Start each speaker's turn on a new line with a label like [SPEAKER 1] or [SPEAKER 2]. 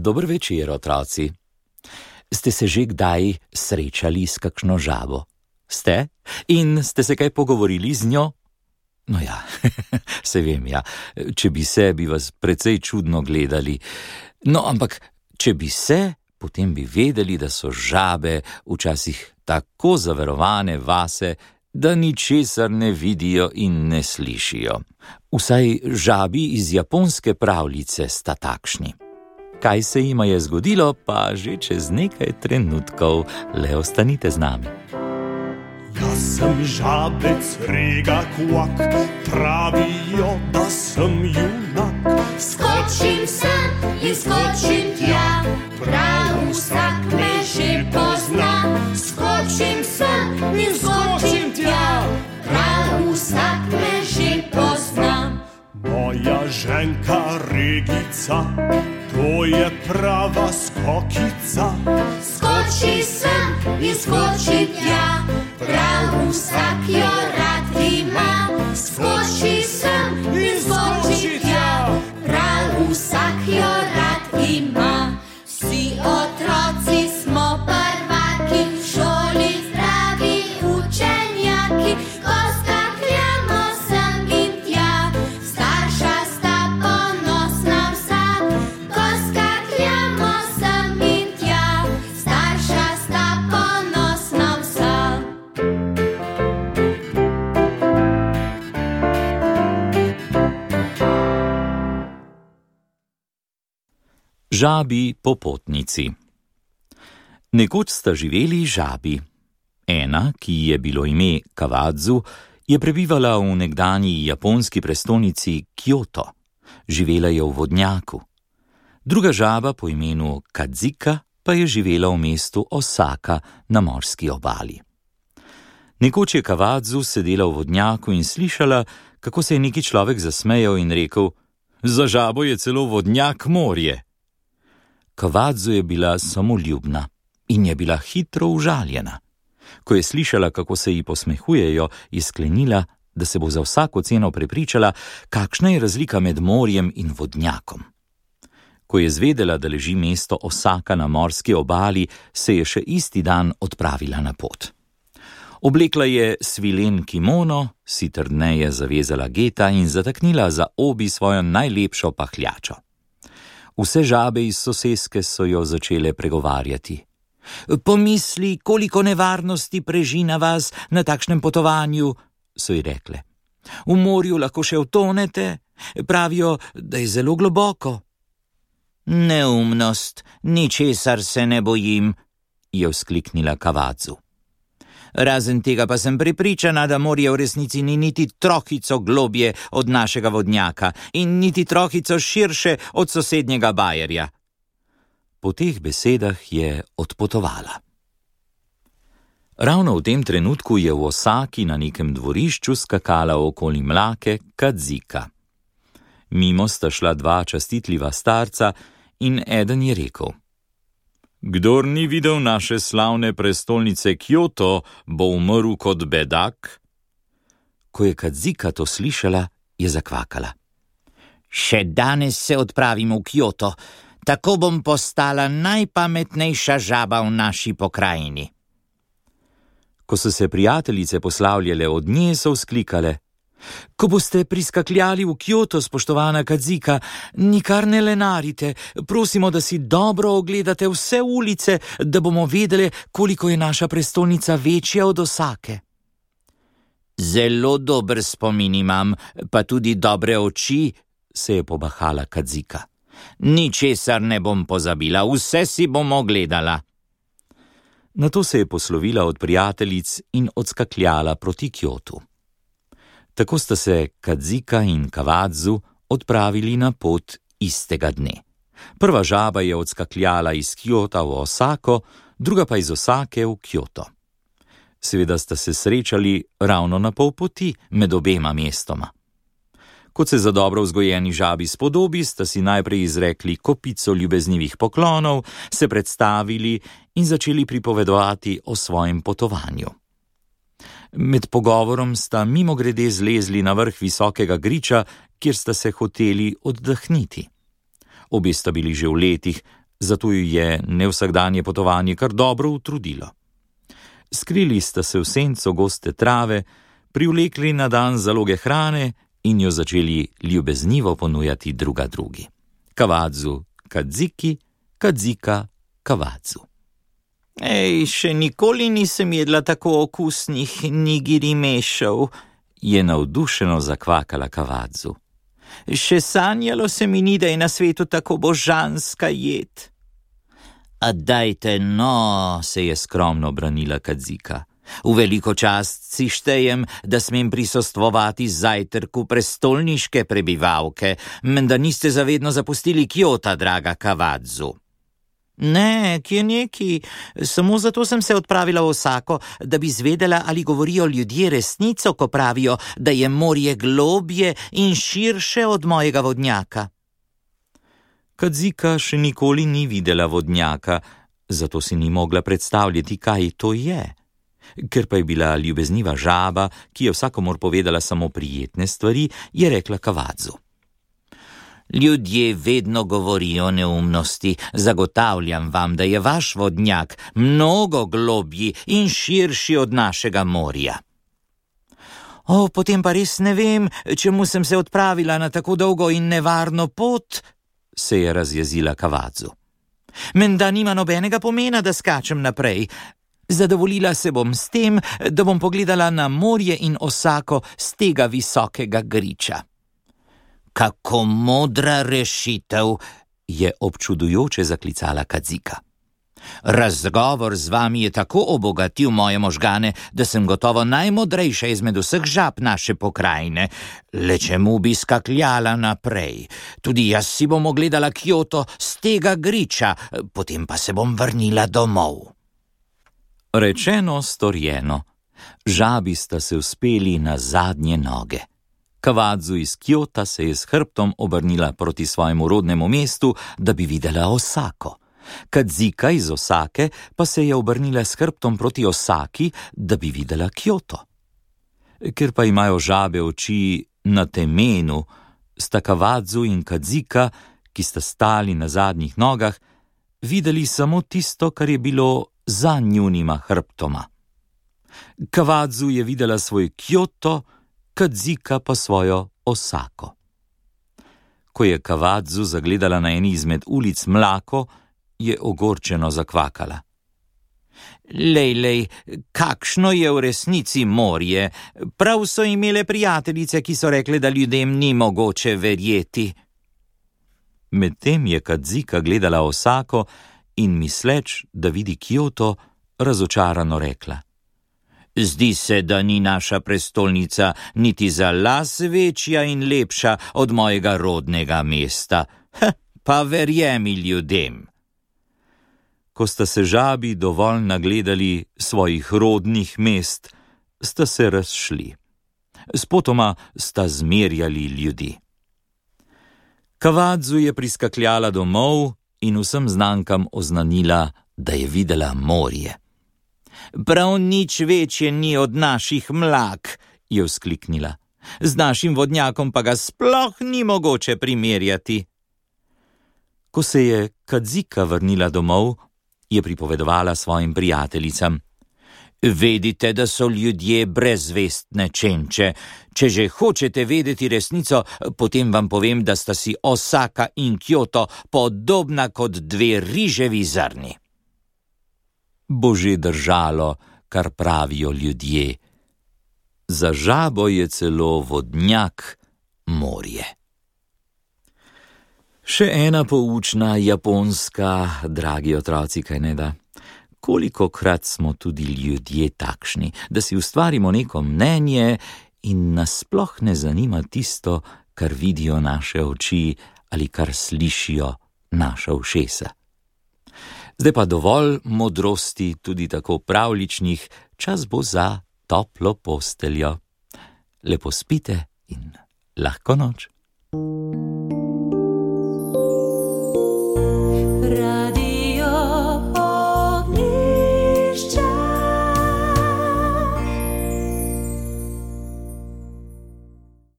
[SPEAKER 1] Dober večer, otroci. Ste se že kdaj srečali s kakšno žabo? Ste? In ste se kaj pogovorili z njo? No ja, se vem, ja. Če bi se, bi vas precej čudno gledali. No, ampak, če bi se, potem bi vedeli, da so žabe včasih tako zaverovane vase, da ničesar ne vidijo in ne slišijo. Vsaj žabi iz japonske pravljice sta takšni. Kaj se jima je zgodilo, pa že čez nekaj trenutkov. Le ostanite z nami.
[SPEAKER 2] Jaz sem žabec, rega kvak, pravijo, da sem junak.
[SPEAKER 3] Skočim sem in skočim tja, prav vsak me že pozna. Skočim sem in skočim tja, prav vsak me že pozna.
[SPEAKER 2] Moja ženka Regica, to je prava skokica.
[SPEAKER 3] Skoči sem in skoči tja, prav vsak jo rad ima. Skoči sem in skoči tja, prav vsak jo rad ima. Vsi otroci smo prvaki, v šoli zdravi učenjaki. Ko skakljamo sem in tja, starša sta ponosna vsa. Ko skakljamo sem in tja, starša sta ponosna vsa.
[SPEAKER 1] Žabi popotnici. Nekoč sta živeli žabi. Ena, ki ji je bilo ime Kawadzu, je prebivala v nekdanji japonski prestolnici Kyoto. Živela je v vodnjaku. Druga žaba po imenu Kadzika pa je živela v mestu Osaka na morski obali. Nekoč je Kawadzu sedela v vodnjaku in slišala, kako se je neki človek zasmejal in rekel: "Za žabo je celo vodnjak morje." Kawadzu je bila samoljubna in je bila hitro užaljena. Ko je slišala, kako se ji posmehujejo, je sklenila, da se bo za vsako ceno prepričala, kakšna je razlika med morjem in vodnjakom. Ko je zvedela, da leži mesto Osaka na morski obali, se je še isti dan odpravila na pot. Oblekla je svilen kimono, si trdneje zavezala geta in zataknila za obi svojo najlepšo pahljačo. Vse žabe iz soseske so jo začele pregovarjati. "Pomisli, koliko nevarnosti preži na vas na takšnem potovanju," so ji rekle. "V morju lahko še utonete, pravijo, da je zelo globoko." "Neumnost, ničesar se ne bojim," je vzkliknila Kawadzu. "Razen tega pa sem prepričana, da morje v resnici ni niti trohico globje od našega vodnjaka in niti trohico širše od sosednjega bajerja." Po teh besedah je odpotovala. Ravno v tem trenutku je v Osaki na nekem dvorišču skakala okoli mlake Kadzika. Mimo sta šla dva častitljiva starca in eden je rekel: "Kdor ni videl naše slavne prestolnice Kyoto, bo umrl kot bedak." Ko je Kadzika to slišala, je zakvakala. "Še danes se odpravim v Kyoto, tako bom postala najpametnejša žaba v naši pokrajini." Ko so se prijateljice poslavljale od nje, so vzklikale: "Ko boste priskakljali v Kyoto, spoštovana Kadzika, nikar ne lenarite, prosimo, da si dobro ogledate vse ulice, da bomo vedeli, koliko je naša prestolnica večja od Osake." "Zelo dober spomin imam, pa tudi dobre oči," se je pobahala Kadzika. "Ničesar ne bom pozabila, vse si bom ogledala." Nato se je poslovila od prijateljic in odskakljala proti Kyotu. Tako sta se Kadzika in Kawadzu odpravili na pot istega dne. Prva žaba je odskakljala iz Kyota v Osako, druga pa iz Osake v Kyoto. Seveda sta se srečali ravno na pol poti med obema mestoma. Kot se za dobro vzgojeni žabi spodobi, sta si najprej izrekli kopico ljubeznivih poklonov, se predstavili in začeli pripovedovati o svojem potovanju. Med pogovorom sta mimogrede zlezli na vrh visokega griča, kjer sta se hoteli oddahniti. Obe sta bili že v letih, zato ju je nevsakdanje potovanje kar dobro utrudilo. Skrili sta se v senco goste trave, privlekli na dan zaloge hrane in jo začeli ljubeznivo ponujati druga drugi. Kavadzu Kadziki, Kadzika Kavadzu.
[SPEAKER 4] Ej, še nikoli nisem jedla tako okusnih nigiri mešev,
[SPEAKER 1] je navdušeno zakvakala Kavadzu.
[SPEAKER 4] Še sanjalo se mi ni, da je na svetu tako božanska jed.
[SPEAKER 5] A dajte, no, se je skromno branila Kadzika. V veliko čast si štejem, da smem prisostvovati zajtrku prestolniške prebivalke, menda niste zavedno zapustili Kjota, draga Kavadzu.
[SPEAKER 4] Ne, kje neki, samo zato sem se odpravila v Osako, da bi zvedela, ali govorijo ljudje resnico, ko pravijo, da je morje globje in širše od mojega vodnjaka.
[SPEAKER 1] Kadzika še nikoli ni videla vodnjaka, zato si ni mogla predstavljati, kaj to je. Ker pa je bila ljubezniva žaba, ki je vsakomur povedala samo prijetne stvari, je rekla Kavadzu.
[SPEAKER 5] Ljudje vedno govorijo neumnosti, zagotavljam vam, da je vaš vodnjak mnogo globji in širši od našega morja.
[SPEAKER 4] O, potem pa res ne vem, čemu sem se odpravila na tako dolgo in nevarno pot,
[SPEAKER 1] se je razjezila Kavadzu.
[SPEAKER 4] Menda nima nobenega pomena, da skačem naprej. Zadovoljila se bom s tem, da bom pogledala na morje in Osako z tega visokega griča.
[SPEAKER 5] Kako modra rešitev,
[SPEAKER 1] je občudujoče zaklicala Kadzika.
[SPEAKER 5] Razgovor z vami je tako obogatil moje možgane, da sem gotovo najmodrejša izmed vseh žab naše pokrajine. Le čemu bi skakljala naprej? Tudi jaz si bom ogledala Kjoto z tega griča, potem pa se bom vrnila domov.
[SPEAKER 1] Rečeno, storjeno. Žabi sta se vzpeli na zadnje noge. Kavadzu iz Kjota se je s hrbtom obrnila proti svojemu rodnemu mestu, da bi videla Osako. Kadzika iz Osake pa se je obrnila s hrbtom proti Osaki, da bi videla Kjoto. Ker pa imajo žabe oči na temenu, sta Kavadzu in Kadzika, ki sta stali na zadnjih nogah, videli samo tisto, kar je bilo za njunima hrbtoma. Kavadzu je videla svoj Kjoto, Kadzika pa svojo Osako. Ko je Kavadzu zagledala na eni izmed ulic mlako, je ogorčeno zakvakala.
[SPEAKER 4] Lej, kakšno je v resnici morje? Prav so imele prijateljice, ki so rekle, da ljudem ni mogoče verjeti.
[SPEAKER 1] Medtem je Kadzika gledala Osako in misleč, da vidi Kjoto, razočarano rekla.
[SPEAKER 5] Zdi se, da ni naša prestolnica niti za las večja in lepša od mojega rodnega mesta. Pa verjemi ljudem.
[SPEAKER 1] Ko sta se žabi dovolj nagledali svojih rodnih mest, sta se razšli. Spotoma sta zmerjali ljudi. Kavadzu je priskakljala domov in vsem znankam oznanila, da je videla morje.
[SPEAKER 4] Prav nič večje ni od naših mlak, je vzkliknila. Z našim vodnjakom pa ga sploh ni mogoče primerjati.
[SPEAKER 1] Ko se je Kadzika vrnila domov, je pripovedovala svojim prijateljicam.
[SPEAKER 5] Vedite, da so ljudje brezvestne čenče. Če že hočete vedeti resnico, potem vam povem, da sta si Osaka in Kjoto podobna kot dve riževi zrni.
[SPEAKER 1] Bo že držalo, kar pravijo ljudje. Za žabo je celo vodnjak morje. Še ena poučna japonska, dragi otroci, kaj ne da? Kolikokrat smo tudi ljudje takšni, da si ustvarimo neko mnenje in nas sploh ne zanima tisto, kar vidijo naše oči ali kar slišijo naša ušesa. Zdaj pa dovolj modrosti, tudi tako pravličnih, čas bo za toplo posteljo. Lepo spite in lahko noč.